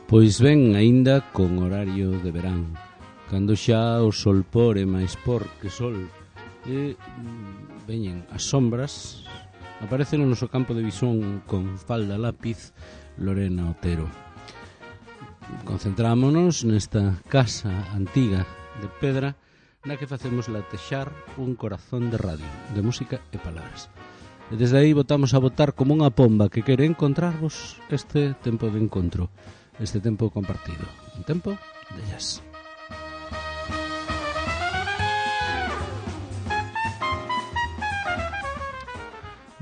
Pois ben, aínda con horario de verán, cando xa o sol por e máis por que sol, e veñen as sombras, aparece no noso campo de visón con falda lápiz Lorena Otero. Concentrámonos nesta casa antiga de pedra na que facemos latexar un corazón de radio, de música e palabras. E desde aí botamos a botar como unha pomba que quere encontrarvos este tempo de encontro, este tempo compartido, un tempo de jazz.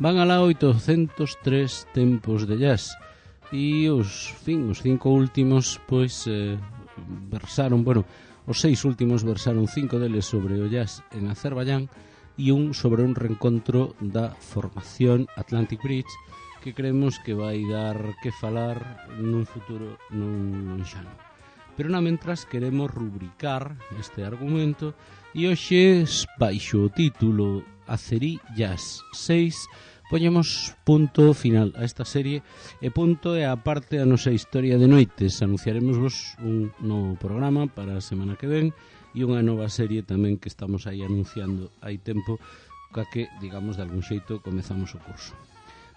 Van alá 803 tempos de jazz e os 5 últimos pois versaron, os 6 últimos versaron 5 deles sobre o jazz en Azerbaiyán e un sobre un reencontro da formación Atlantic Bridge que creemos que vai dar que falar nun futuro non lonxano. Pero na mentras queremos rubricar este argumento e hoxe, baixo o título Azerí Jazz 6, poñemos punto final a esta serie e punto é a parte da nosa historia de noites. Anunciaremosvos un novo programa para a semana que ven e unha nova serie tamén que estamos aí anunciando hai tempo, ca que, digamos, de algún xeito comezamos o curso.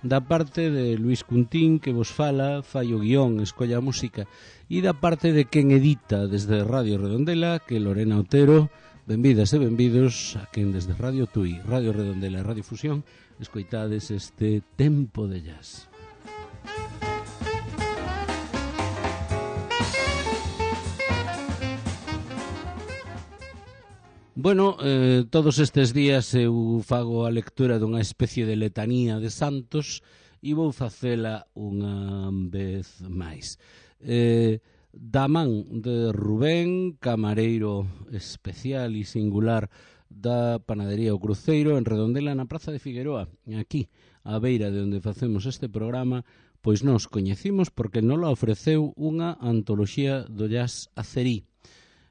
Da parte de Luis Cuntín, que vos fala, fai o guión, escolla a música, e da parte de quen edita desde Radio Redondela, que Lorena Otero. Benvidas e benvidos a quen desde Radio Tui, Radio Redondela e Radio Fusión escoitades este tempo de jazz. Todos estes días eu fago a lectura dunha especie de letanía de santos e vou facela unha vez máis. Da man de Rubén, camareiro especial e singular da panadería O Cruceiro en Redondela, na Praza de Figueroa, aquí, á beira de onde facemos este programa, pois nos coñecimos porque nos la ofreceu unha antoloxía do jazz azerí.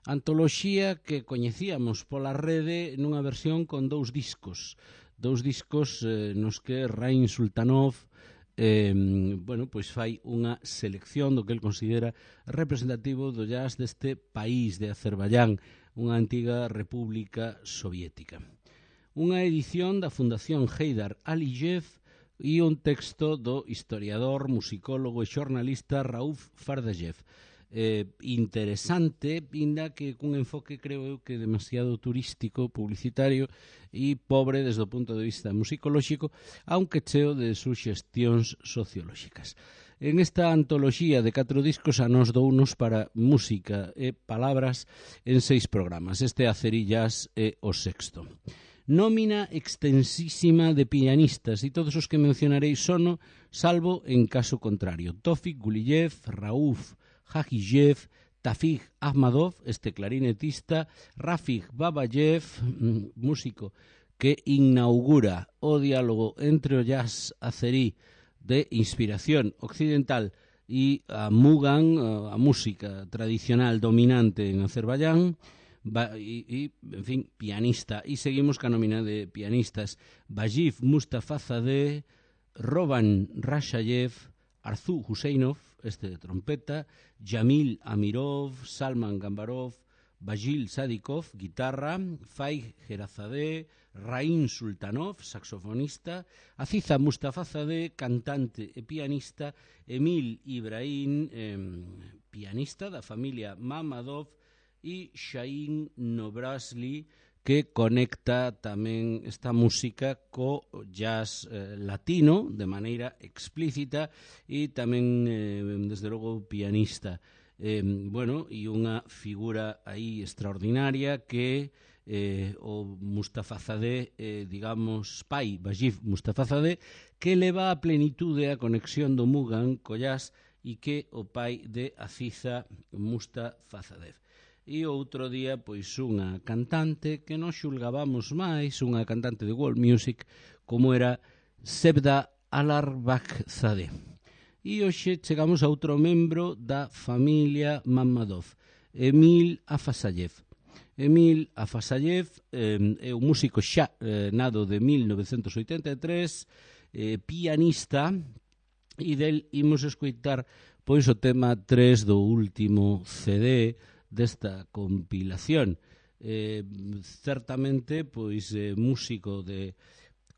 Antoloxía que coñecíamos pola rede nunha versión con dous discos nos que Rain Sultanov fai unha selección do que el considera representativo do jazz deste país de Azerbaiyán, unha antiga república soviética. Unha edición da Fundación Heydar Aliyev e un texto do historiador, musicólogo e xornalista Rauf Fardayev. Interesante, inda que cun enfoque creo eu que demasiado turístico, publicitario e pobre desde o punto de vista musicolóxico, aunque cheo de suxestións sociolóxicas. En esta antoloxía de 4 discos a nos dounos para música e palabras en 6 programas. Este Azerí Jazz é o 6º. Nómina extensísima de pianistas e todos os que mencionarei sono, salvo en caso contrario. Tofik Guliyev, Rauf Hajiyev, Tafig Ahmadov, este clarinetista, Rafig Babayev, músico que inaugura o diálogo entre o jazz azerí de inspiración occidental e a Mugham, a música tradicional dominante en Azerbaiyán, en fin, pianista. E seguimos ca nómina de pianistas: Vajif Mustafazadeh, Roban Rashayev, Arzu Huseinov, este de trompeta, Jamil Amirov, Salman Gambarov, Bajil Sadikov, guitarra, Faig Gerazadeh, Rain Sultanov, saxofonista, Aziza Mustafazadeh, cantante e pianista, Emil Ibrahim, pianista da familia Mamadov, e Shahin Nobrasli, que conecta tamén esta música co jazz latino de maneira explícita e tamén, desde logo, pianista. E unha figura aí extraordinaria que o Mustafazadeh, digamos, pai, Vajif Mustafazadeh, que leva a plenitude a conexión do Mugham co jazz e que o pai de Aziza Mustafazadeh. E outro día, pois, unha cantante que non xulgábamos máis, unha cantante de world music, como era Sevda Alarbakhzadeh. E hoxe chegamos a outro membro da familia Mamadov, Emil Afasayev. Emil Afasayev é un músico xa nado de 1983, pianista, e del imos escoitar pois o tema 3 do último CD desta compilación. Certamente pois músico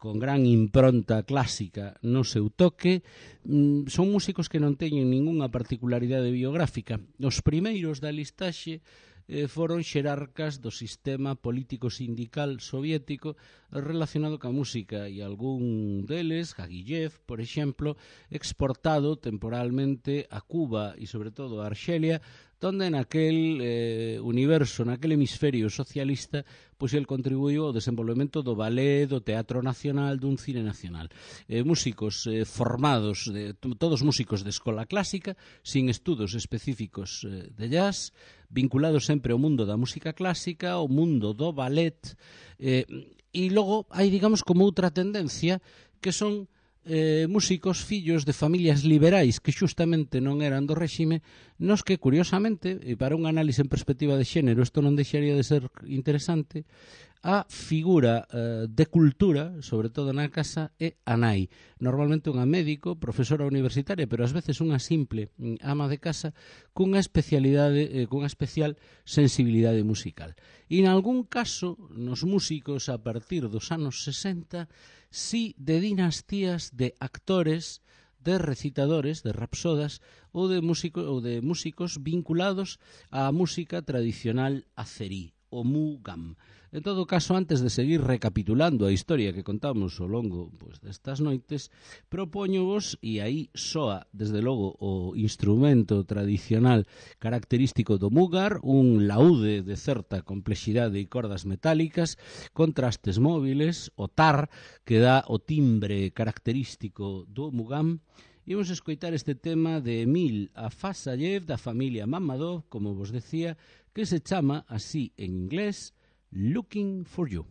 con gran impronta clásica no seu toque. Son músicos que non teñen ningunha particularidade biográfica. Os primeiros da listaxe foron xerarcas do sistema político sindical soviético relacionado ca música, e algún deles, Gagillev, por exemplo, exportado temporalmente a Cuba e sobre todo a Arxelia, donde naquel universo, naquel hemisferio socialista, pois el contribuiu ao desenvolvemento do ballet, do teatro nacional, dun cine nacional. Músicos formados, todos músicos de escola clásica, sin estudos específicos de jazz, vinculados sempre ao mundo da música clásica, ao mundo do ballet, e logo hai, digamos, como outra tendencia, que son músicos fillos de familias liberais que xustamente non eran do réxime, nos que, curiosamente, e para un análise en perspectiva de xénero isto non deixaría de ser interesante, a figura de cultura, sobre todo na casa, é a nai. Normalmente unha médico, profesora universitaria, pero ás veces unha simple ama de casa cunha especialidade, cunha especial sensibilidade musical. E en algún caso, nos músicos a partir dos anos 60, sí de dinastías de actores, de recitadores, de rapsodas ou de músicos vinculados á música tradicional azerí, o mugam. En todo caso, antes de seguir recapitulando a historia que contamos ao longo destas noites, propóñovos, e aí soa desde logo o instrumento tradicional característico do mugar, un laúde de certa complexidade e cordas metálicas, contrastes móviles, o tar, que dá o timbre característico do mugam. Imos escoitar este tema de Emil Afasayev, da familia Mamadov, como vos decía, que se chama así en inglés Looking for You.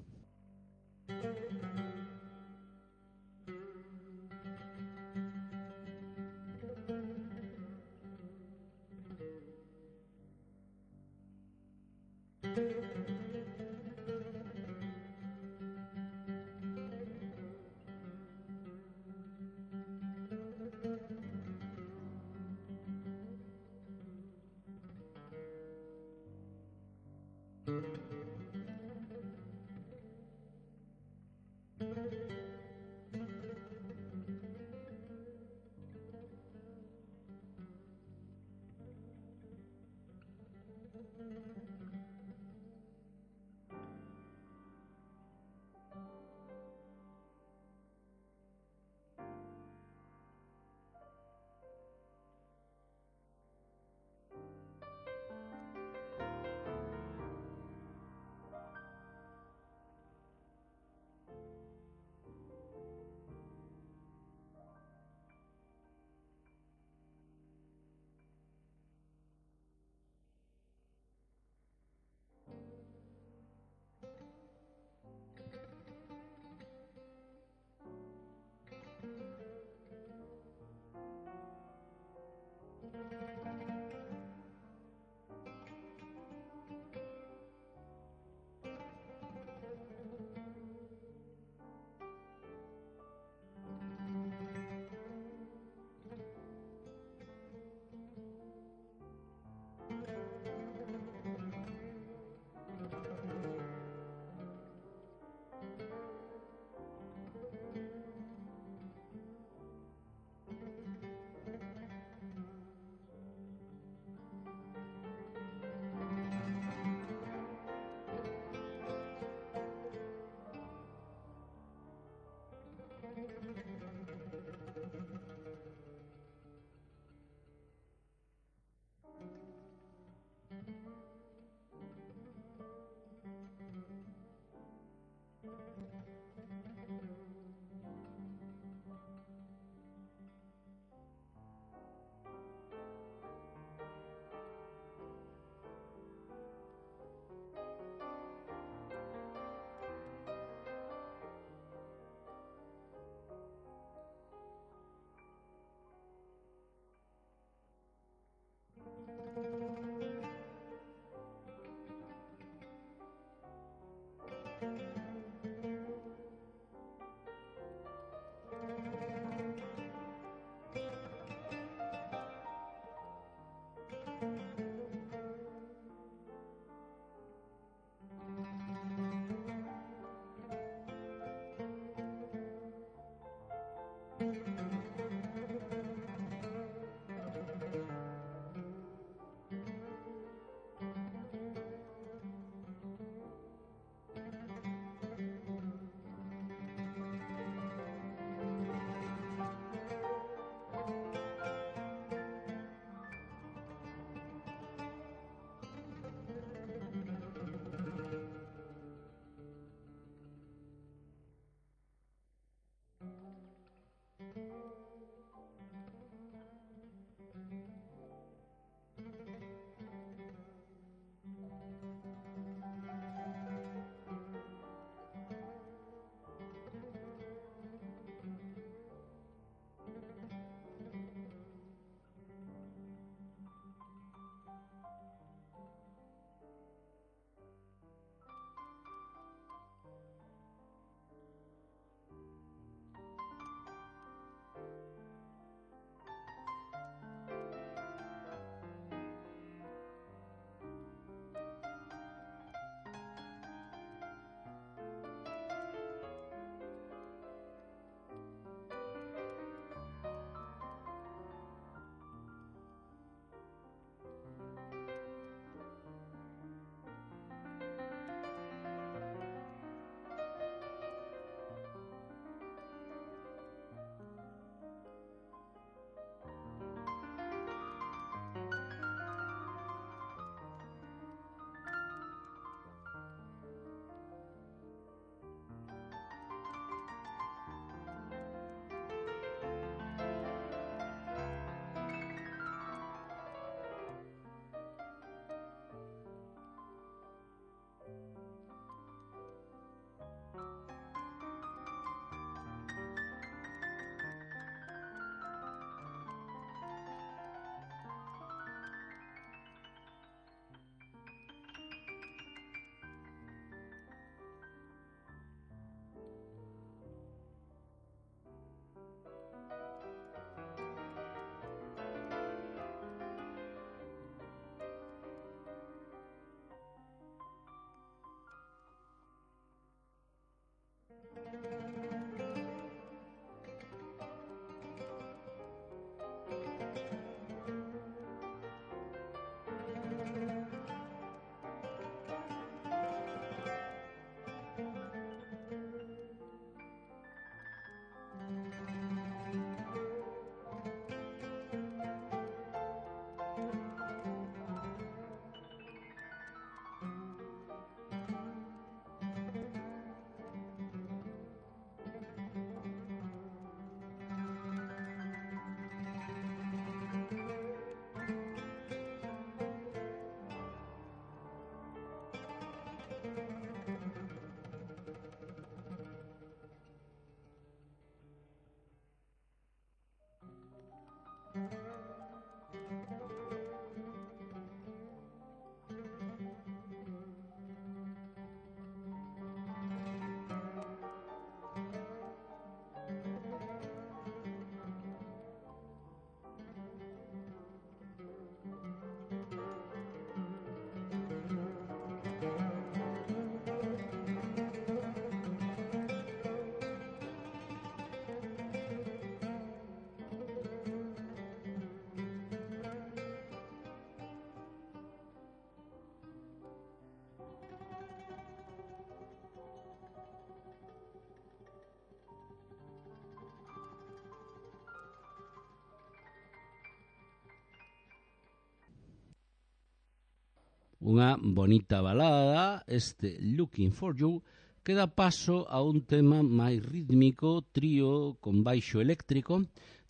Unha bonita balada, este Looking for You, que dá paso a un tema máis rítmico, trío con baixo eléctrico,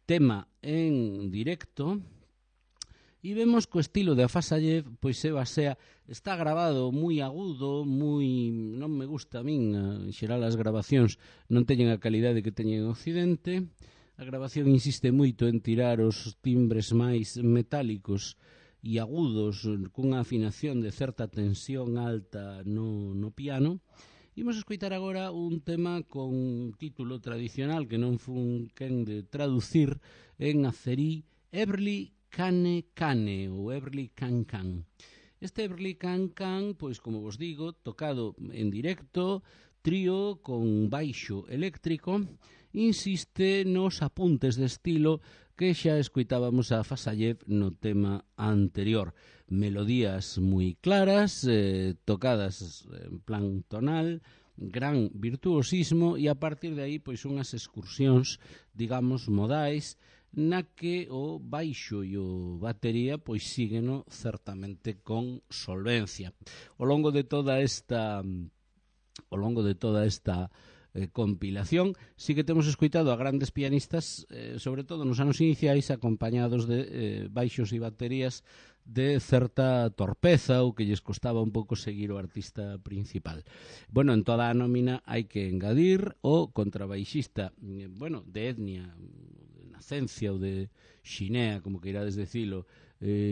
tema en directo, e vemos que o estilo de Afasayev pois se basea, está grabado moi agudo, moi, non me gusta a min, en xeral as grabacións non teñen a calidade que teñen en Occidente. A grabación insiste moito en tirar os timbres máis metálicos e agudos cunha afinación de certa tensión alta no piano. Imos escoitar agora un tema con título tradicional que non fun quen de traducir en azerí, Everly Cane Cane ou Everly Can Can. Este Everly Can Can, pois como vos digo, tocado en directo, trío con baixo eléctrico, insiste nos apuntes de estilo que xa escoitábamos a Fasayev no tema anterior. Melodías moi claras, tocadas en plan tonal, gran virtuosismo e a partir de aí pois unhas excursións, digamos, modais na que o baixo e o batería pois sígueno certamente con solvencia. Ao longo de toda esta compilación, sí que temos escoitado a grandes pianistas, sobre todo nos anos iniciais, acompañados de baixos e baterías de certa torpeza ou que lles costaba un pouco seguir o artista principal. Bueno, en toda a nómina hai que engadir o contrabaixista, de etnia, de nacencia ou de xinea, como que irades decilo,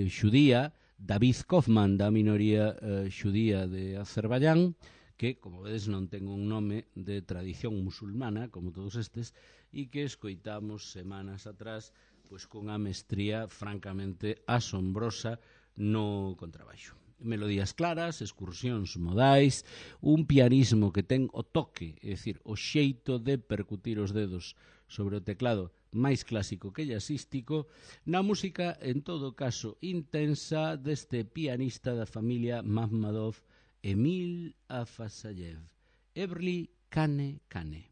xudía, David Kaufman, da minoría xudía de Azerbaiyán, que, como vedes, non ten un nome de tradición musulmana, como todos estes, e que escoitamos semanas atrás pois cunha mestría francamente asombrosa no contrabaixo. Melodías claras, excursións modais, un pianismo que ten o toque, é dicir, o xeito de percutir os dedos sobre o teclado máis clásico que jazzístico, na música, en todo caso, intensa deste pianista da familia Makhmadov, Emil Afasayev, Everly Kane Kane.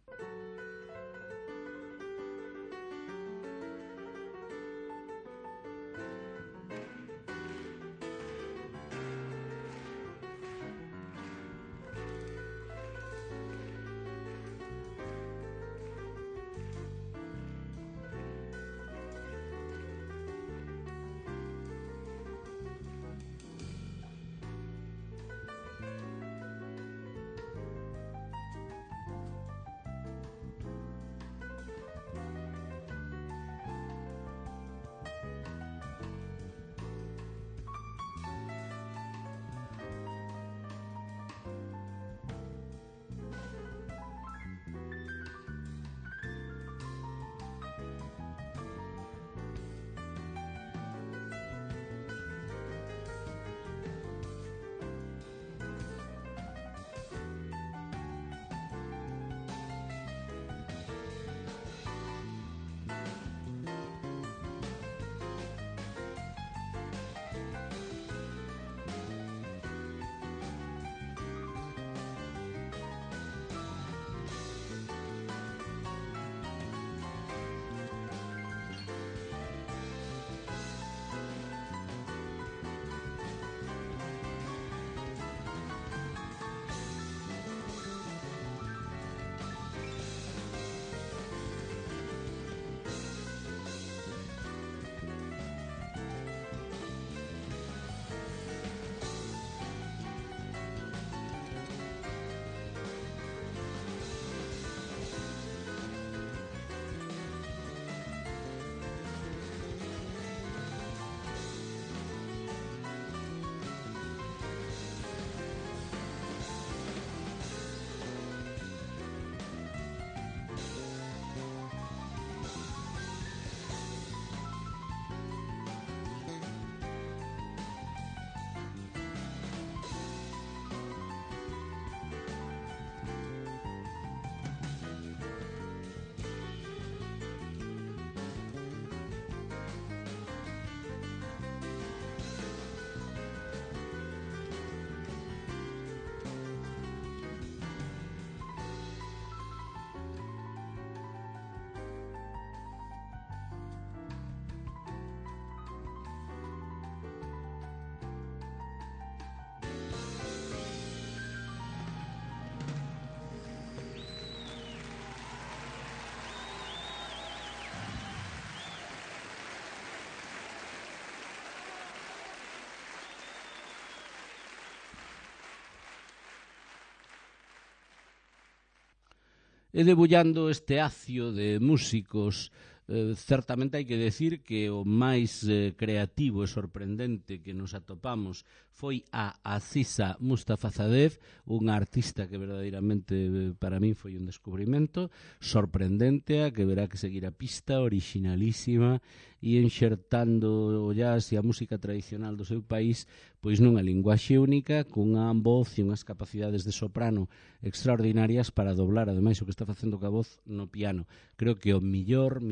E debullando este acio de músicos Certamente hai que decir que o máis creativo e sorprendente que nos atopamos foi a Aziza Mustafazadeh, unha artista que verdadeiramente para min foi un descubrimento sorprendente, a que verá que seguir a pista, originalísima e enxertando o jazz e a música tradicional do seu país pois nunha linguaxe única, cunha voz e unhas capacidades de soprano extraordinarias para doblar ademais o que está facendo ca voz no piano. Creo que o millor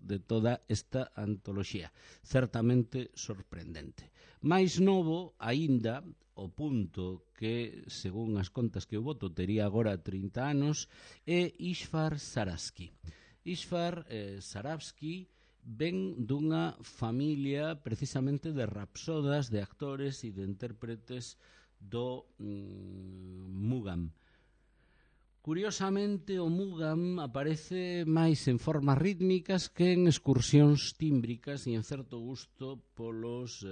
de toda esta antoloxía. Certamente sorprendente. Mais novo, aínda, o punto que, según as contas que eu boto, tería agora 30 anos, é Ishvar Sarabski. Ishvar Sarabski ven dunha familia precisamente de rapsodas, de actores e de intérpretes do Mugam. Curiosamente, o Mugam aparece máis en formas rítmicas que en excursións tímbricas e en certo gusto polos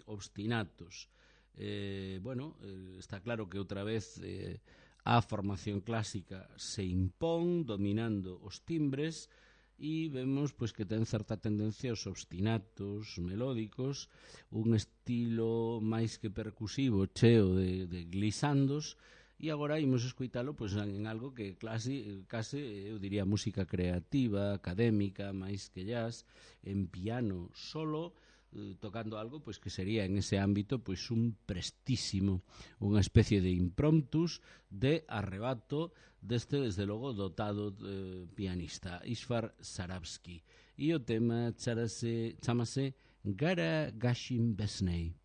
obstinatos. Está claro que outra vez a formación clásica se impón dominando os timbres e vemos pois que ten certa tendencia aos obstinatos melódicos, un estilo máis que percusivo, cheo de glisandos, e agora imos escoitalo pois en algo que case eu diría música creativa, académica, máis que jazz, en piano solo, tocando algo pois que sería en ese ámbito pois un prestísimo, unha especie de impromptus de arrebato deste desde logo dotado pianista Ishvar Sarabski, e o tema chamase Gara Gashim Besnei.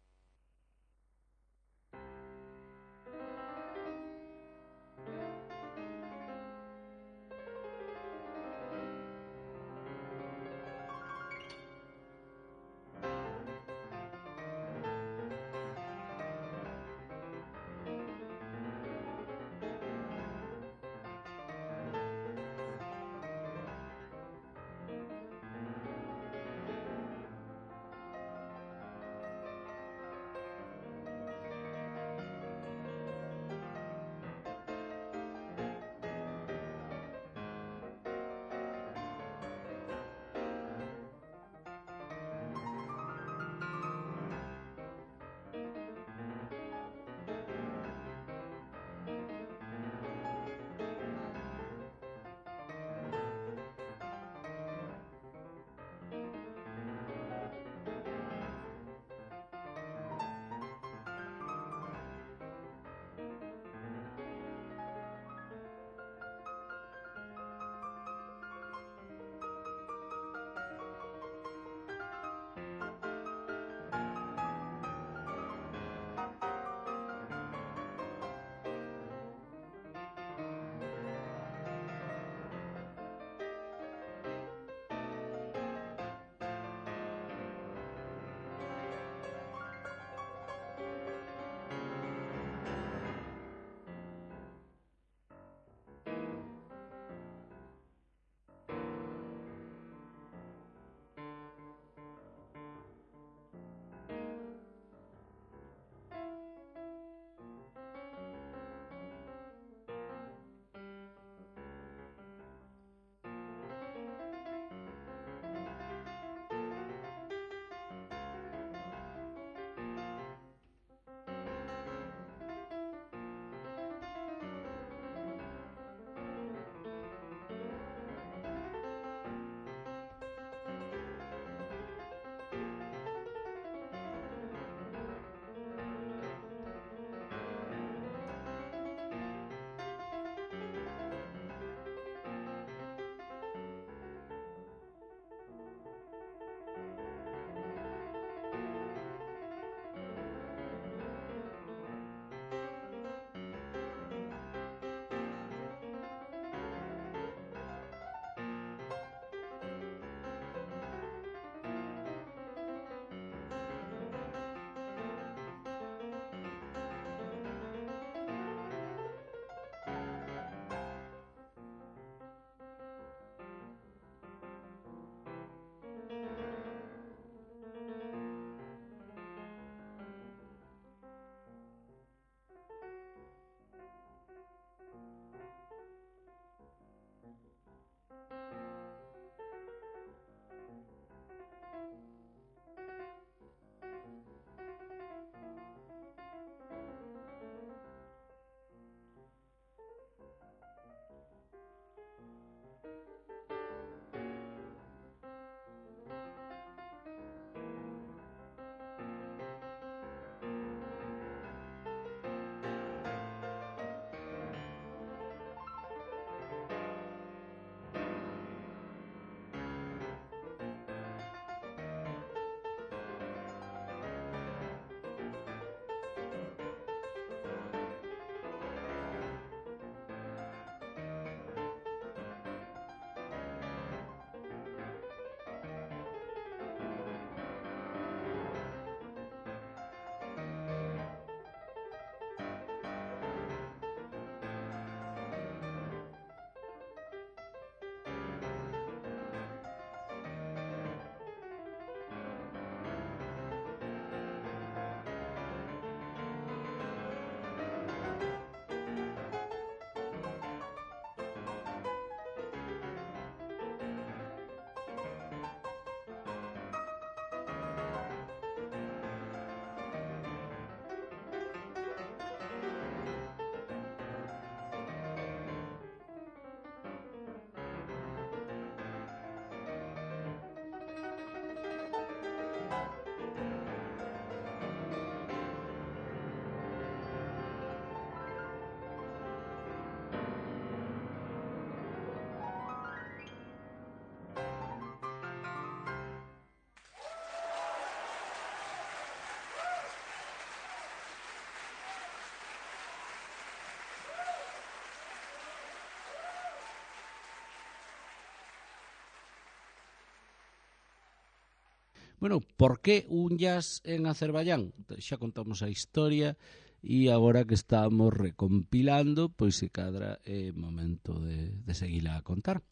Bueno, por que un jazz en Azerbaiyán? Xa contamos a historia e agora que estamos recompilando, pois se cadra é momento de seguila a contar.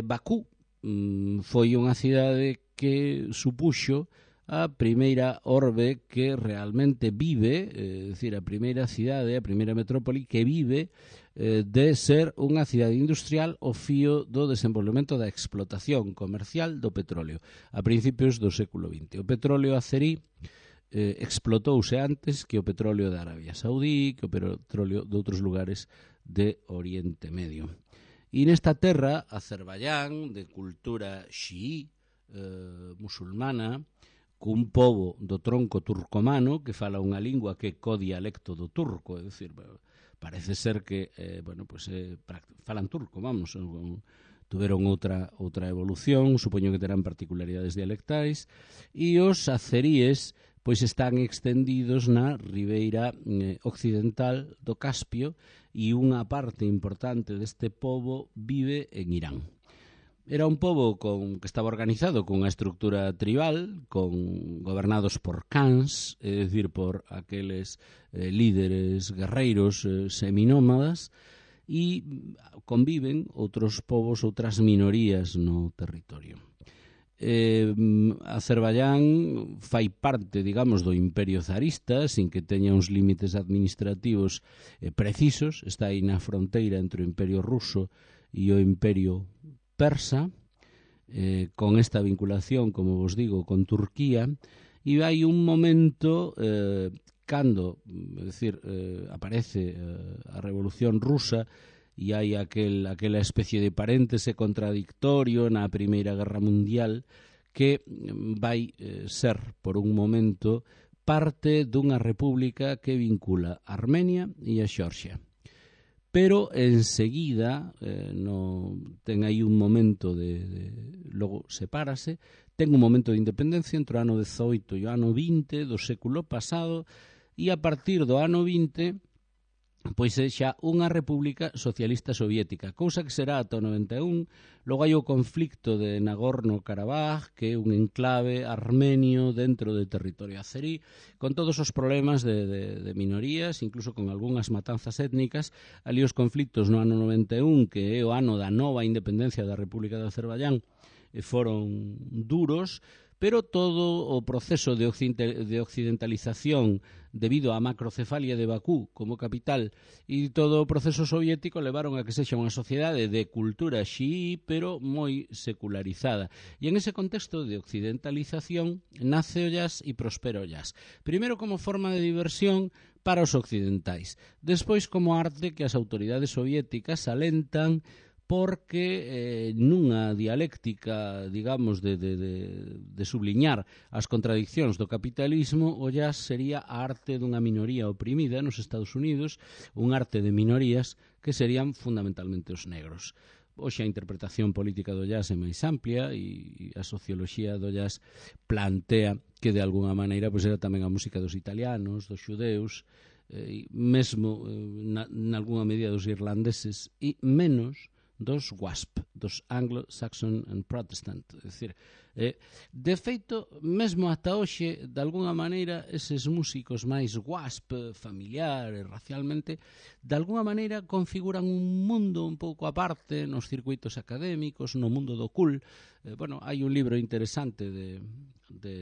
Bakú foi unha cidade que supuxo a primeira orbe que realmente vive, é dicir, a primeira cidade, a primeira metrópoli que vive de ser unha cidade industrial ao fío do desenvolvemento da explotación comercial do petróleo a principios do século XX. O petróleo azerí explotouse antes que o petróleo de Arabia Saudí, que o petróleo de outros lugares de Oriente Medio. E nesta terra, Azerbaiyán, de cultura xií, musulmana, cun pobo do tronco turcomano que fala unha lingua que é codialecto do turco, é dicir, parece ser que falan turco, vamos, tuveron outra evolución, supoño que terán particularidades dialectais, e os azeríes pois están extendidos na ribeira occidental do Caspio e unha parte importante deste pobo vive en Irán. Era un pobo que estaba organizado con unha estructura tribal, gobernados por khans, é dicir, por aqueles líderes guerreiros seminómadas, e conviven outros povos, outras minorías no territorio. Azerbaiyán fai parte, digamos, do imperio zarista, sin que teña uns límites administrativos precisos, está aí na fronteira entre o imperio ruso e o imperio persa, con esta vinculación, como vos digo, con Turquía, e hai un momento cando, aparece a Revolución Rusa e hai aquela especie de paréntese contradictorio na Primeira Guerra Mundial que vai ser, por un momento, parte dunha república que vincula Armenia e a Xeorxia. Pero enseguida ten aí un momento logo sepárase, ten un momento de independencia entre o ano 18 e o ano 20 do século pasado, e a partir do ano 20 pois é xa unha república socialista soviética, cousa que será ata o 91. Logo hai o conflicto de Nagorno-Karabaj, que é un enclave armenio dentro do territorio azerí, con todos os problemas de minorías, incluso con algunhas matanzas étnicas. Ali os conflictos no ano 91, que é o ano da nova independencia da República de Azerbaiyán, foron duros, pero todo o proceso de occidentalización debido á macrocefalia de Bakú como capital e todo o proceso soviético levaron a que sexa unha sociedade de cultura xií, pero moi secularizada. E en ese contexto de occidentalización nace o jazz e prospera o jazz. Primeiro como forma de diversión para os occidentais, despois como arte que as autoridades soviéticas alentan, porque nunha dialéctica, digamos, de subliñar as contradiccións do capitalismo, o jazz sería a arte dunha minoría oprimida nos Estados Unidos, un arte de minorías que serían fundamentalmente os negros. Hoxe a interpretación política do jazz é máis amplia e a socioloxía do jazz plantea que de alguna maneira pois era tamén a música dos italianos, dos xudeus, mesmo nalgúna medida dos irlandeses e menos dos WASP, dos Anglo-Saxon and Protestant. É dicir, de feito, mesmo ata hoxe, de alguna maneira, eses músicos máis WASP, familiar e racialmente, de alguna maneira configuran un mundo un pouco aparte nos circuitos académicos, no mundo do cool. Hai un libro interesante de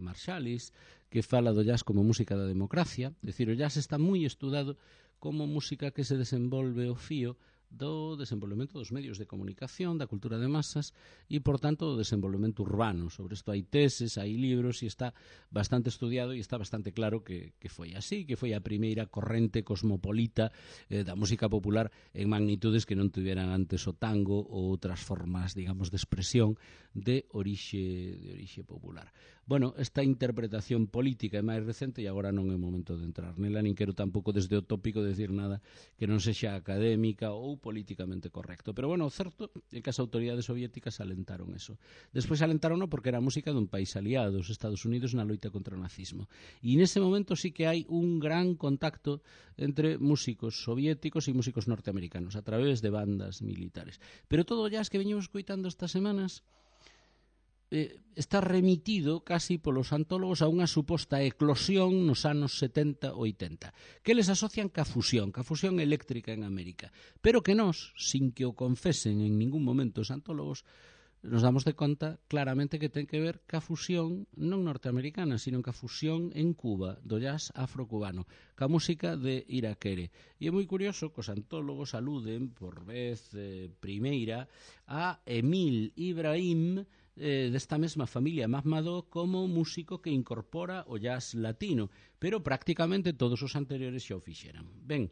Marsalis que fala do jazz como música da democracia. É dicir, o jazz está moi estudado como música que se desenvolve ao fío do desenvolvemento dos medios de comunicación, da cultura de masas e, por tanto, do desenvolvemento urbano. Sobre isto hai teses, hai libros e está bastante estudiado e está bastante claro que foi así, que foi a primeira corrente cosmopolita da música popular en magnitudes que non tuveran antes o tango ou outras formas, digamos, de expresión de orixe popular. Bueno, esta interpretación política é máis recente e agora non é momento de entrar nela, nin quero tampouco desde o tópico decir nada que non sexa académica ou políticamente correcto. Pero, bueno, o certo é que as autoridades soviéticas alentaron eso. Despois alentarono porque era música dun país aliado, os Estados Unidos, na loita contra o nazismo. E nese momento sí que hai un gran contacto entre músicos soviéticos e músicos norteamericanos a través de bandas militares. Pero todo o jazz que veñemos coitando estas semanas está remitido casi polos antólogos a unha suposta eclosión nos anos 70-80, que eles asocian ca fusión eléctrica en América, pero que nós, sin que o confesen en ningún momento os antólogos, nos damos de conta claramente que ten que ver ca fusión non norteamericana, sino ca fusión en Cuba, do jazz afrocubano, ca música de Irakere. E é moi curioso que os antólogos aluden por vez primeira a Emil Ibrahim, desta mesma familia Mahmadó, como músico que incorpora o jazz latino, pero prácticamente todos os anteriores xa o fixeran. Ben,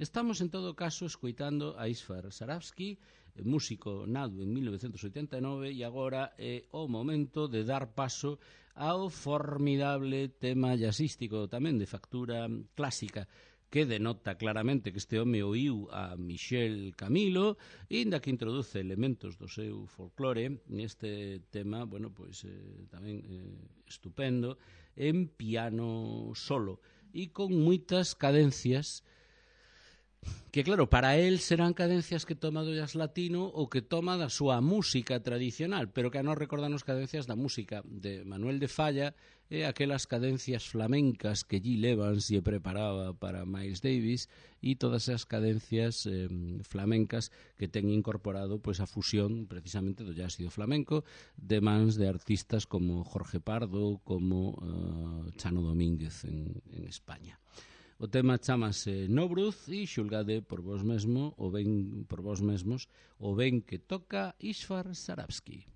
estamos en todo caso escoitando a Isfar Sarabski, músico nado en 1989, e agora é o momento de dar paso ao formidable tema jazzístico tamén de factura clásica, que denota claramente que este home oíu a Michel Camilo, inda que introduce elementos do seu folclore neste tema, bueno, pois tamén estupendo, en piano solo e con moitas cadencias que, claro, para él serán cadencias que toma do jazz latino ou que toma da súa música tradicional, pero que a nos recordan as cadencias da música de Manuel de Falla e aquelas cadencias flamencas que Gil Evans lle preparaba para Miles Davis e todas as cadencias flamencas que ten incorporado pois a fusión precisamente do jazz e do flamenco de mans de artistas como Jorge Pardo, como Chano Domínguez en España. O tema chamase Nobruz e xulgade por vos mesmo, por vos mesmos, o ben que toca Isfar Sarabski.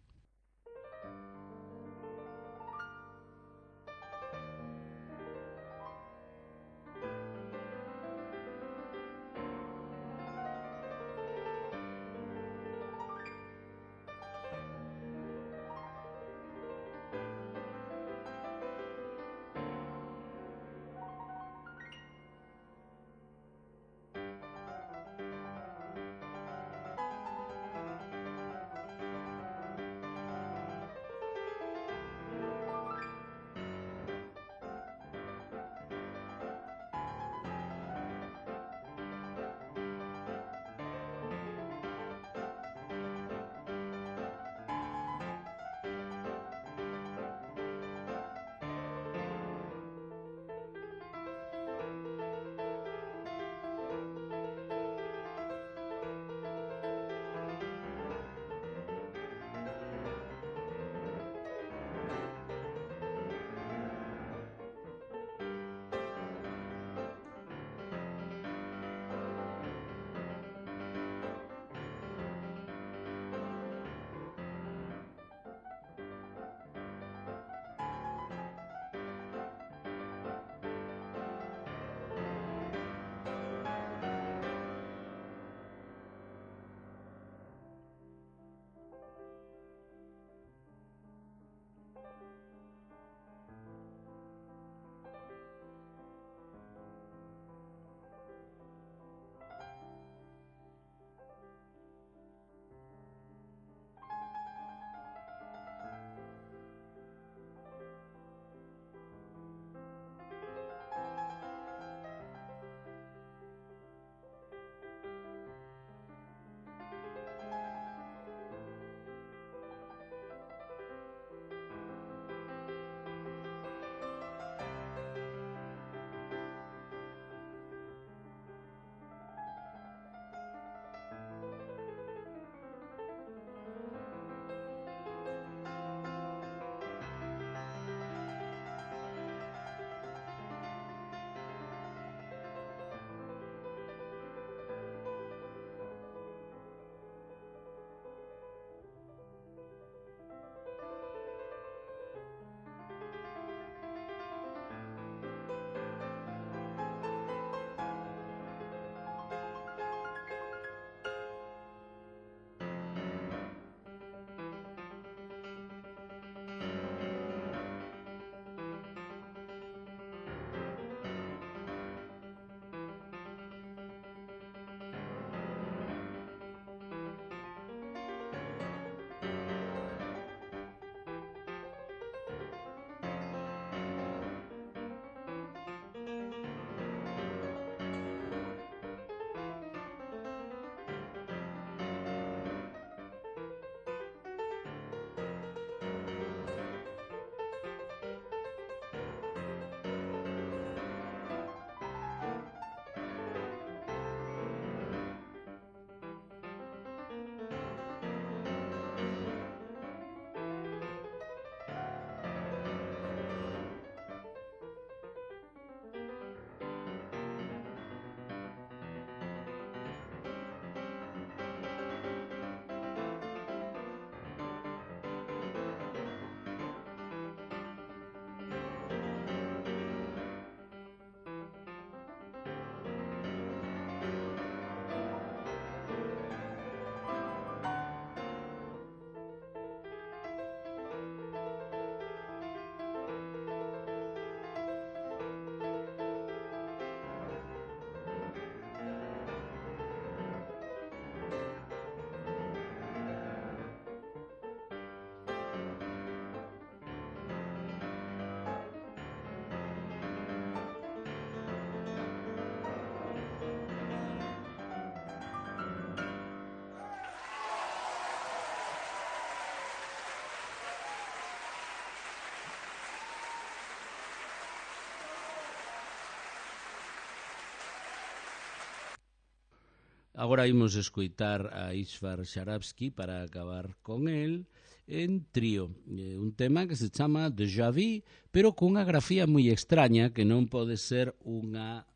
Agora imos escoitar a Ishvar Sharabsky para acabar con el en trío, un tema que se chama Déjà Vu, pero cunha grafía moi extraña que non pode ser unha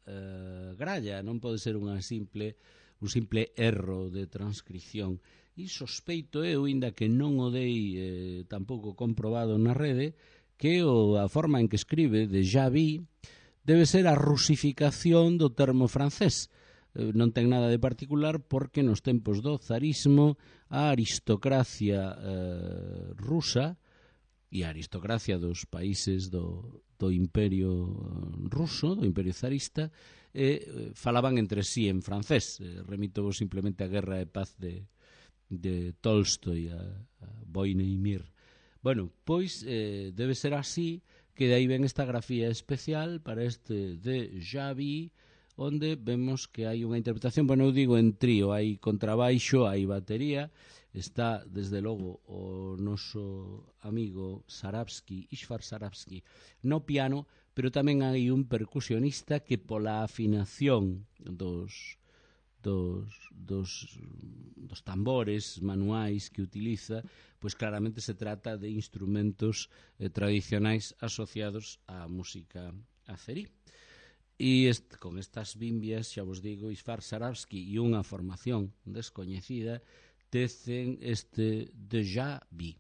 gralla, non pode ser un simple erro de transcripción. E sospeito eu, inda que non o dei tampouco comprobado na rede, que a forma en que escribe Déjà Vu debe ser a rusificación do termo francés. Non ten nada de particular porque nos tempos do zarismo a aristocracia rusa e a aristocracia dos países do imperio ruso, do imperio zarista, falaban entre sí en francés. Remito simplemente a Guerra e Paz de Tolstoi, a Vojny i Mir. Bueno, pois debe ser así, que de aí ven esta grafía especial para este Déjà Vu, onde vemos que hai unha interpretación, bueno, eu digo en trío, hai contrabaixo, hai batería, está desde logo o noso amigo Sharabsky, Ishvar Sharabsky, no piano, pero tamén hai un percusionista que pola afinación dos tambores manuais que utiliza, pois claramente se trata de instrumentos tradicionais asociados á música azerí. E con estas bimbias, xa vos digo, Ishvar Sharabsky e unha formación descoñecida tecen este Déjà Vu.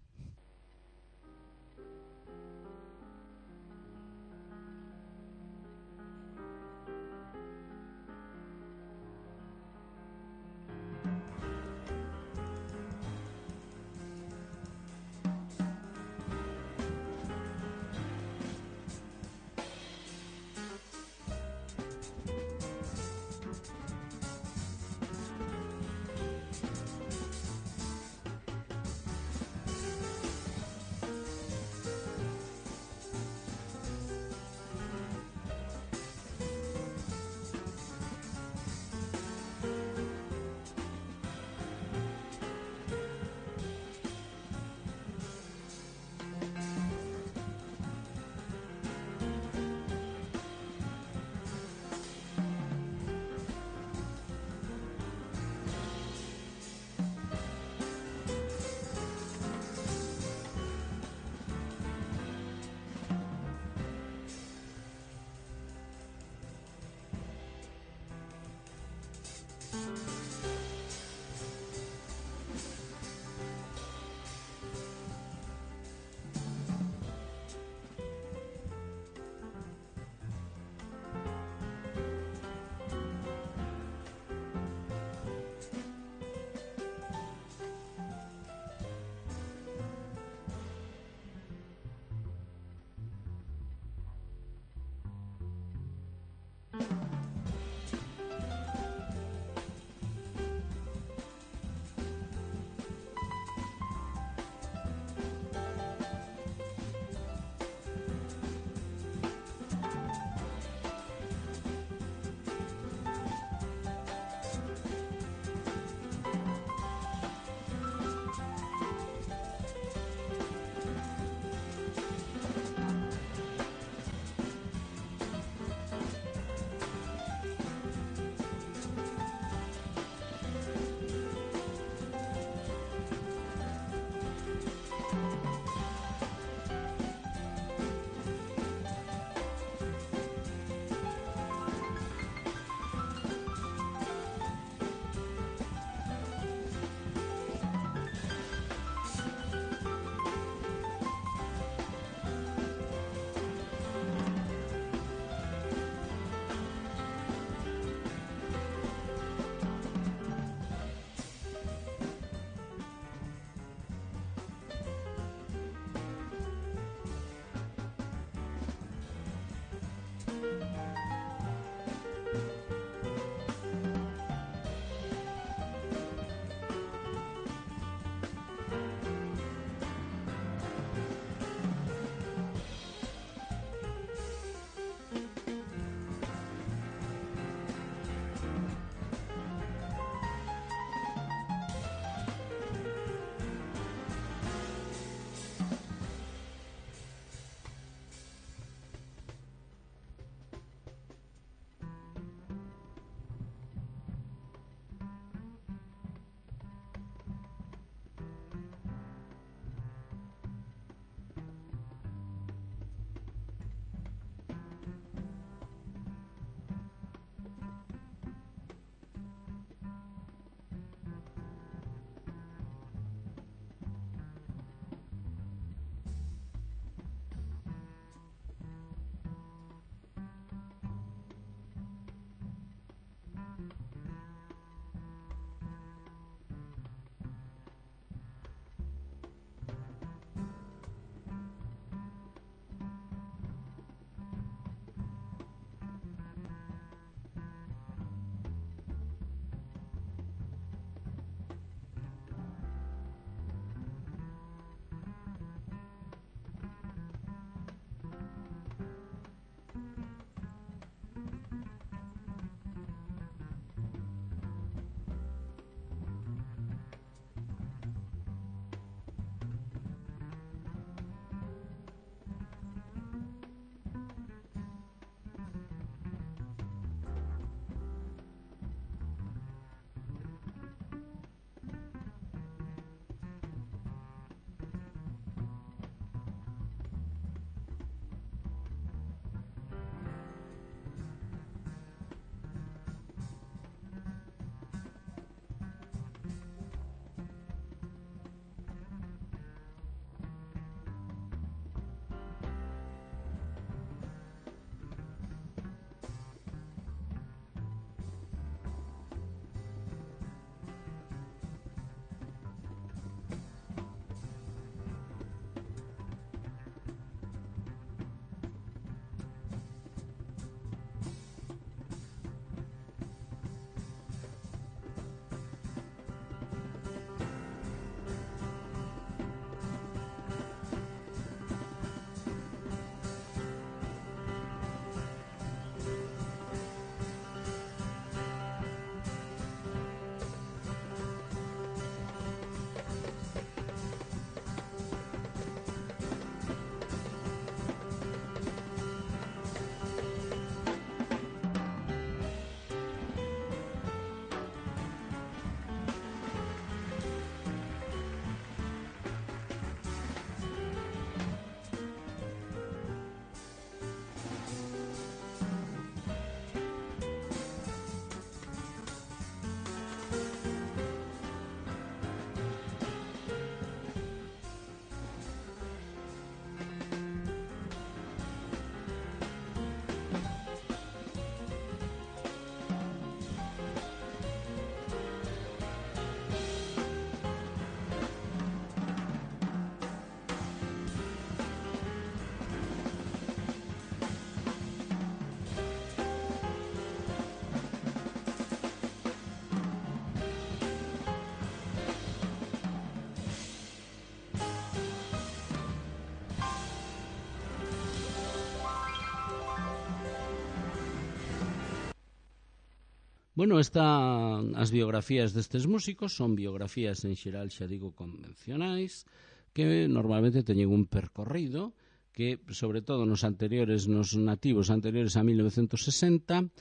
Bueno, as biografías destes músicos son biografías en xeral, xa digo, convencionais, que normalmente teñen un percorrido que, sobre todo nos nativos anteriores a 1960,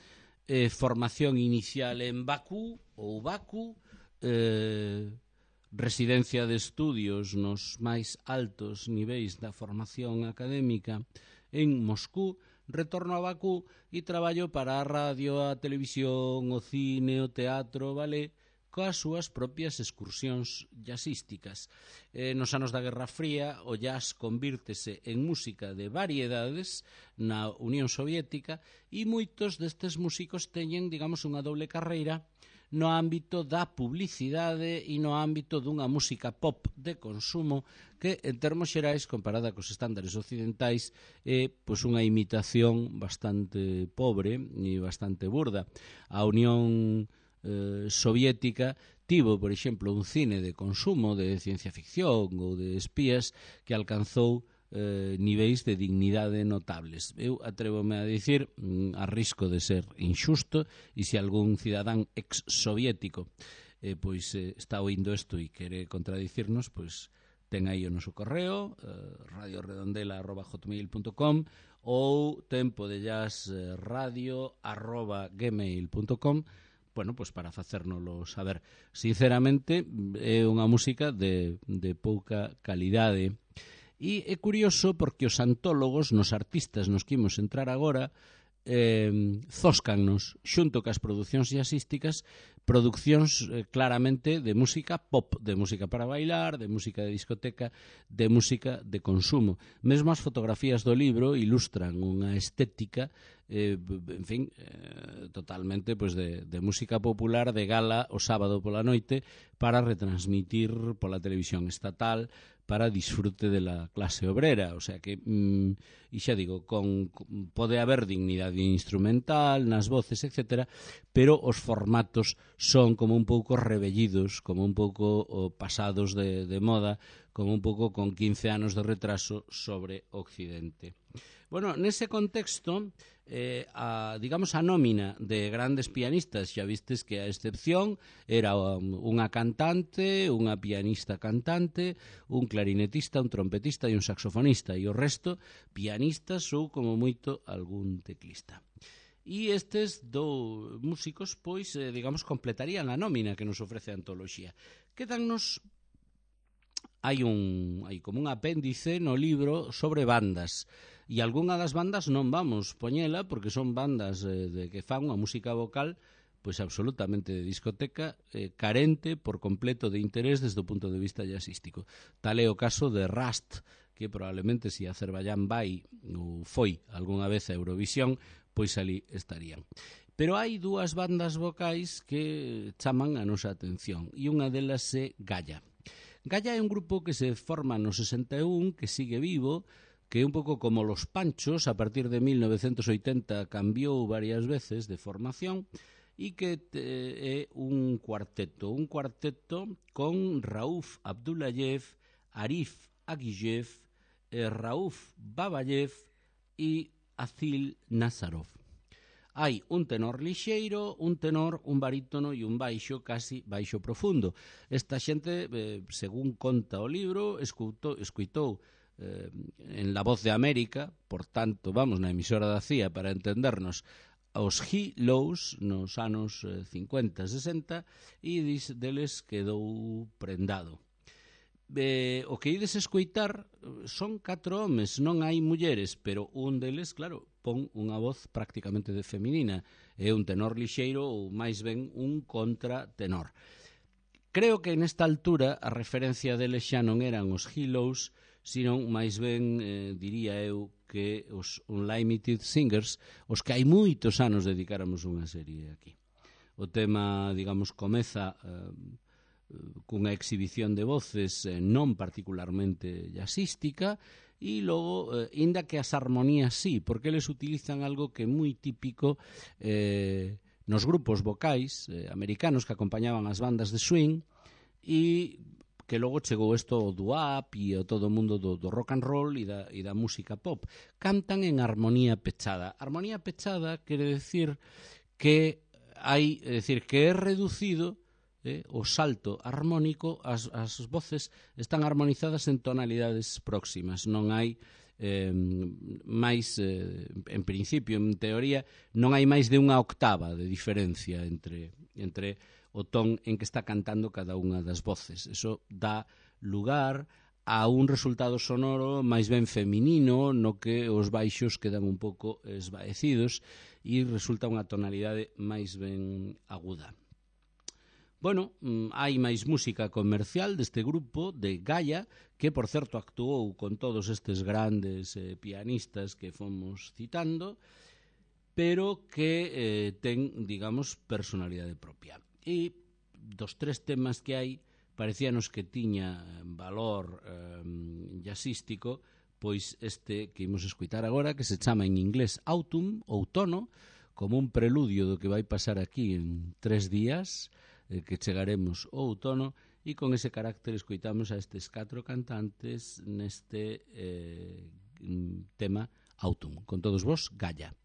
formación inicial en Bakú ou Baku, residencia de estudios nos máis altos niveis da formación académica en Moscú, retorno a Bakú e traballo para a radio, a televisión, o cine, o teatro, o ballet, coas súas propias excursións jazzísticas. Nos anos da Guerra Fría, o jazz convírtese en música de variedades na Unión Soviética e moitos destes músicos teñen, digamos, unha doble carreira no ámbito da publicidade e no ámbito dunha música pop de consumo que, en termos xerais, comparada cos estándares occidentais, é pois unha imitación bastante pobre e bastante burda. A Unión Soviética tivo, por exemplo, un cine de consumo de ciencia ficción ou de espías que alcanzou niveis de dignidade notables. Eu atrévome a dicir, a risco de ser injusto, e se algún cidadán ex-soviético pois está oindo isto e quere contradicirnos, pois ten aí o noso correo, radioredondela@hotmail.com ou tempodejazradio@gmail.com, bueno, pois para facérnoslo saber. Sinceramente, é unha música de pouca calidade. E é curioso porque os antólogos, nos artistas nos que imos entrar agora, zóscannos, xunto cas producións jazzísticas, produccións claramente de música pop, de música para bailar, de música de discoteca, de música de consumo. Mesmo as fotografías do libro ilustran unha estética, en fin, totalmente pues, de música popular de gala o sábado pola noite para retransmitir pola televisión estatal para disfrute de la clase obrera. O sea que, e xa digo, pode haber dignidade instrumental nas voces, etc., pero os formatos son como un pouco rebellidos, como un pouco pasados de moda, como un pouco con 15 anos de retraso sobre Occidente. Bueno, nese contexto, digamos, a nómina de grandes pianistas, xa vistes que a excepción era unha cantante, unha pianista cantante, un clarinetista, un trompetista e un saxofonista, e o resto pianistas ou, como moito, algún teclista. E estes dous músicos, pois, digamos, completarían a nómina que nos ofrece a antoloxía. Quedannos hai como un apéndice no libro sobre bandas, e algunha das bandas non vamos poñela porque son bandas de que fan unha música vocal pois absolutamente de discoteca, carente por completo de interés desde o punto de vista jazzístico. Tal é o caso de Rust, que probablemente se Azerbaiyán vai ou foi algunha vez a Eurovisión, pois ali estarían. Pero hai dúas bandas vocais que chaman a nosa atención, e unha delas é Gaia. Gaia é un grupo que se forma no 61, que sigue vivo, que é un pouco como Los Panchos, a partir de 1980 cambiou varias veces de formación, e que é un cuarteto con Rauf Abdullayev, Arif Agiyev, Rauf Babayev e Azil Nazarov. Hai un tenor lixeiro, un tenor, un barítono e un baixo, casi baixo profundo. Esta xente, según conta o libro, escuitou en La Voz de América, por tanto, vamos, na emisora da CIA para entendernos, aos He-Lows nos anos 50, 60, e deles quedou prendado. O que ides escoitar son 4 homes, non hai mulleres, pero un deles, claro, pon unha voz prácticamente de feminina, é un tenor lixeiro ou máis ben un contratenor. Creo que nesta altura a referencia deles xa non eran os He-Lows, sino máis ben, diría eu, que os Unlimited Singers, os que hai moitos anos dedicáramos unha serie aquí. O tema, digamos, comeza cunha exhibición de voces non particularmente jazzística, e logo, inda que as armonías sí, porque eles utilizan algo que é moi típico nos grupos vocais americanos que acompañaban as bandas de swing, e que logo chegou isto o doo-wop e o todo o mundo do rock and roll e da música pop. Cantan en armonía pechada. Armonía pechada quere decir que hai, é dicir, que é reducido o salto armónico, as voces están armonizadas en tonalidades próximas, non hai máis, en principio, en teoría, non hai máis de unha octava de diferencia entre o ton en que está cantando cada unha das voces. Eso dá lugar a un resultado sonoro máis ben feminino, no que os baixos quedan un pouco esvaecidos e resulta unha tonalidade máis ben aguda. Bueno, hai máis música comercial deste grupo de Gaia, que, por certo, actuou con todos estes grandes pianistas que fomos citando, pero que ten, digamos, personalidade propia. E dos 3 temas que hai, parecíanos que tiña valor jazzístico, pois este que imos escutar agora, que se chama en inglés Autumn, outono, como un preludio do que vai pasar aquí en 3 días, que chegaremos ao outono, e con ese carácter escoitamos a estes 4 cantantes neste tema Autumn. Con todos vos, Gaia.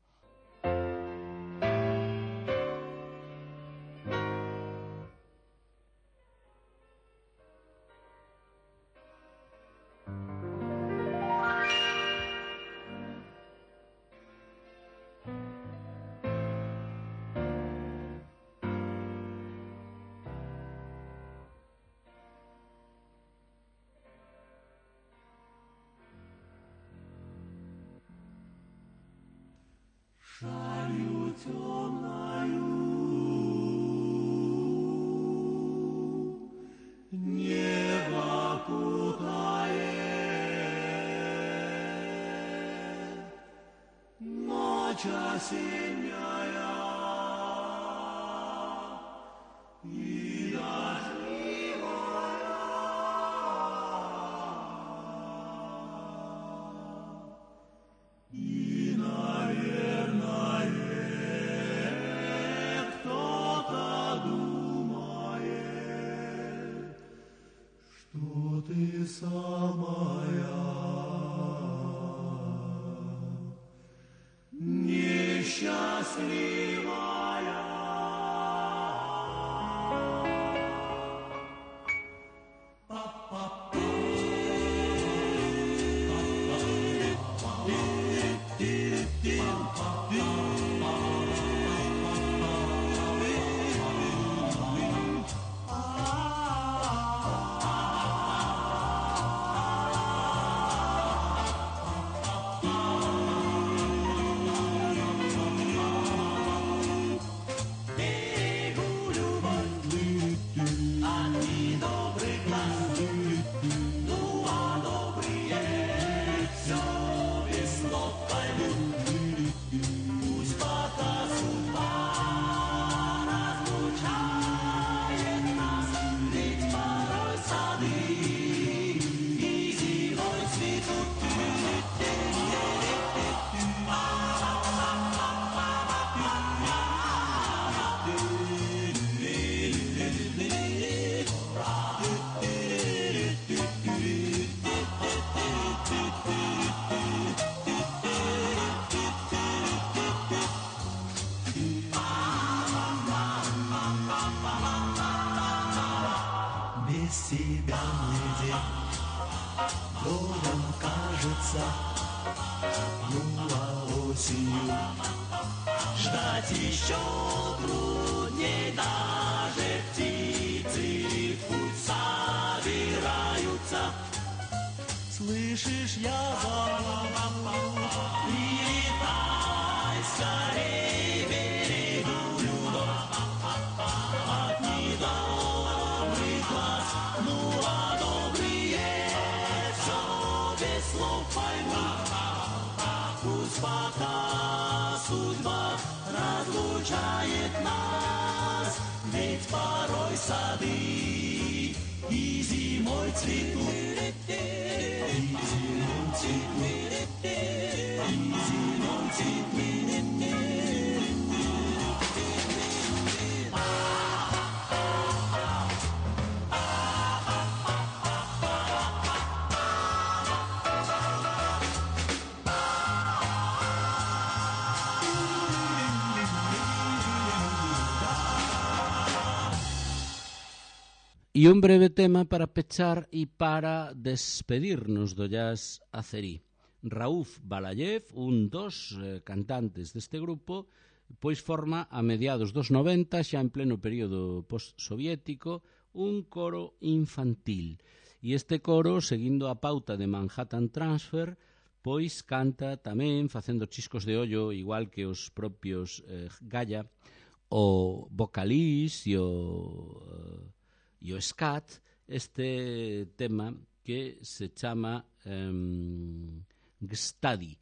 Шалью темною небо кутает, ночь осенняя и дождливая, и, наверное, кто-то думает, что ты самая несчастливая. Без тебя мне день долгом кажется, ну а осенью ждать еще трудней, даже птицы в путь собираются. Слышишь, я зову, прилетай скорей, берегу любовь от недобрых глаз. Ну а добрые все без слов поймут, пусть пока судьба разлучает нас, ведь порой сады и зимой цветут, и зимой цветут, и зимой цветут. E un breve tema para pechar e para despedirnos do jazz azerí. Rauf Balayev, un dos cantantes deste grupo, pois forma a mediados dos 90, xa en pleno período postsoviético, un coro infantil. E este coro, seguindo a pauta de Manhattan Transfer, pois canta tamén, facendo chiscos de ollo, igual que os propios Gaia, o vocalís e o scat, este tema que se chama Gstadi,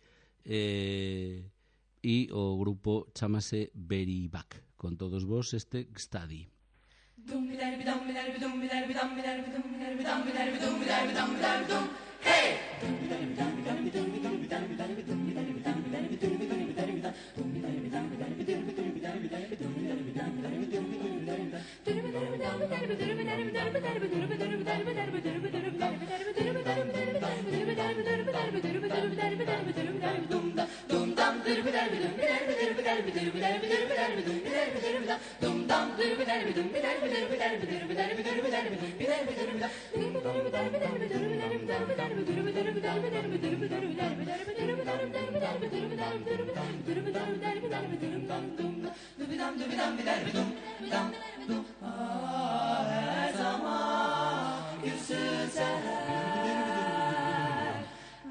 e o grupo chamase Beribak. Con todos vos este Gstadi.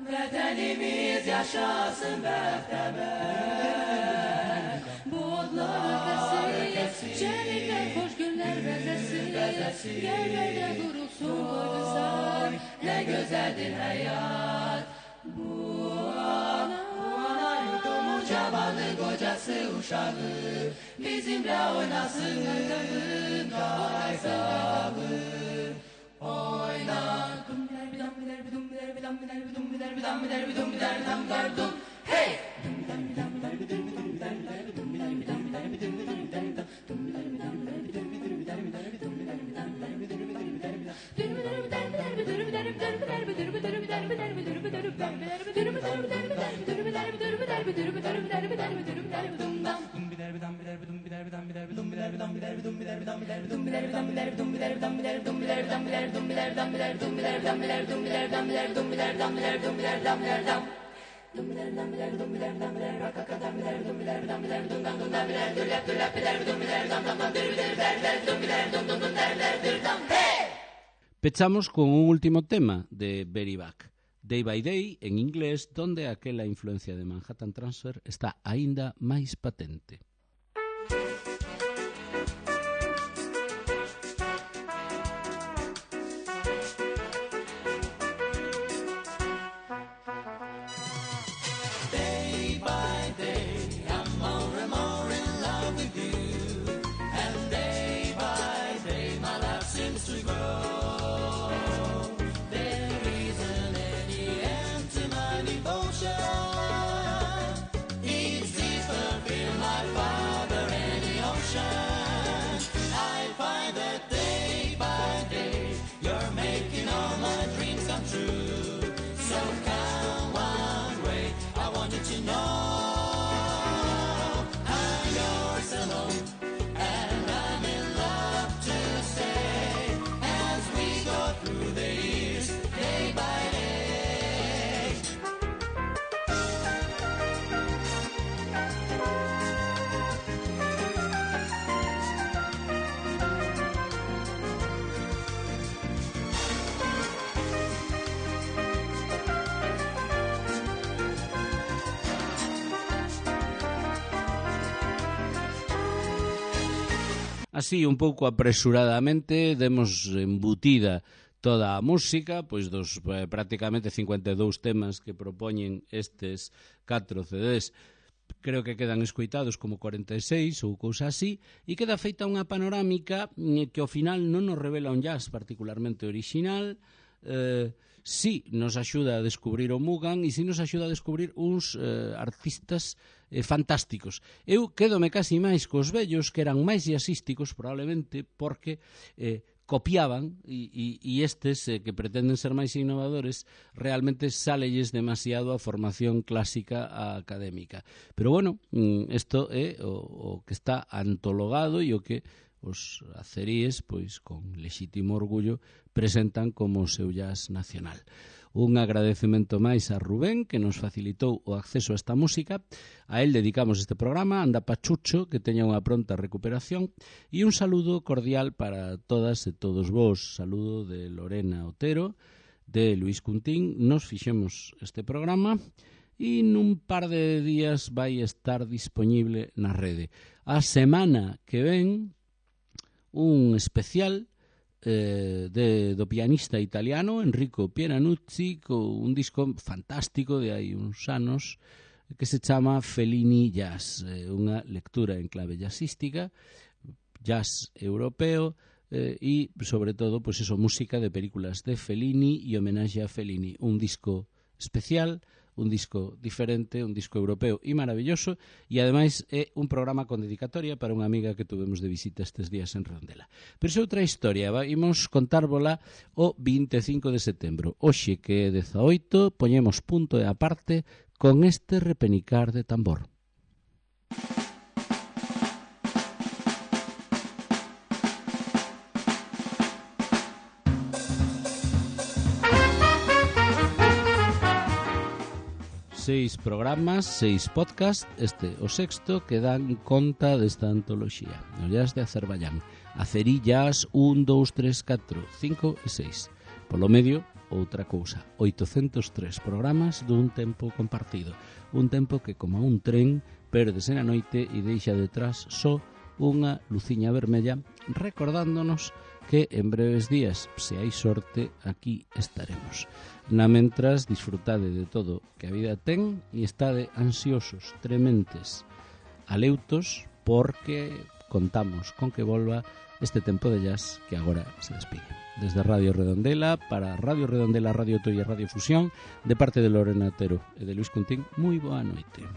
Vatanimiz yaşasın muhtemel. Bulutlar ülkesi, şenlikler, hoş günler bezesi, yerlerde durulsun boynuzlar, ne güzeldir hayat. Bu ana yurdumun cavanı, kocası, uşağı, bizimle oynasın kaysağı. Oyna. Hey! Pechamos con un último tema de Beribak, Day by Day, en inglés, donde aquela influencia de Manhattan Transfer está aínda máis patente. Así, un pouco apresuradamente, demos embutida toda a música, pois dos prácticamente 52 temas que propoñen estes 4 CDs. Creo que quedan escoitados como 46 ou cousa así, e queda feita unha panorámica que ao final non nos revela un jazz particularmente orixinal, sí nos axuda a descubrir o Mugan e sí nos axuda a descubrir uns artistas fantásticos. Eu quédome casi máis cos vellos, que eran máis jazzísticos probablemente porque copiaban e estes que pretenden ser máis innovadores realmente sálelles demasiado a formación clásica académica. Pero bueno, isto é o que está antologado e o que os aceríes, pois con lexítimo orgullo, presentan como o seu jazz nacional. Un agradecemento máis a Rubén, que nos facilitou o acceso a esta música. A él dedicamos este programa, anda pachucho, que teña unha pronta recuperación, e un saludo cordial para todas e todos vos. Saludo de Lorena Otero, de Luis Cuntín. Nos fixemos este programa e nun par de días vai estar disponible na rede. A semana que ven, un especial do pianista italiano Enrico Pieranuzzi, con un disco fantástico de hai uns anos que se chama Fellini Jazz, unha lectura en clave jazzística, jazz europeo, e sobre todo pois eso, música de películas de Fellini e homenaxe a Fellini. Un disco especial, un disco diferente, un disco europeo e maravilloso, e ademais é un programa con dedicatoria para unha amiga que tuvemos de visita estes días en Redondela. Pero é outra historia, imos contárvola o 25 de setembro. Hoxe, que é 18, poñemos punto e aparte con este repenicar de tambor. Seis programas, 6 podcasts, este o sexto, que dan conta desta antoloxía. O jazz de Azerbaiyán. Azerí Jazz 1, 2, 3, 4, 5 e 6. Polo medio, outra cousa. 803 programas dun tempo compartido. Un tempo que, como un tren, pérdese na noite e deixa detrás só unha luciña vermella, recordándonos que en breves días, se hai sorte, aquí estaremos. Na mentras, disfrutade de todo que a vida ten e estade ansiosos, trementes, aleutos, porque contamos con que volva este tempo de jazz que agora se despide. Desde Radio Redondela, para Radio Redondela, Radio Toy e Radio Fusión, de parte de Lorena Otero e de Luis Cuntín, moi boa noite.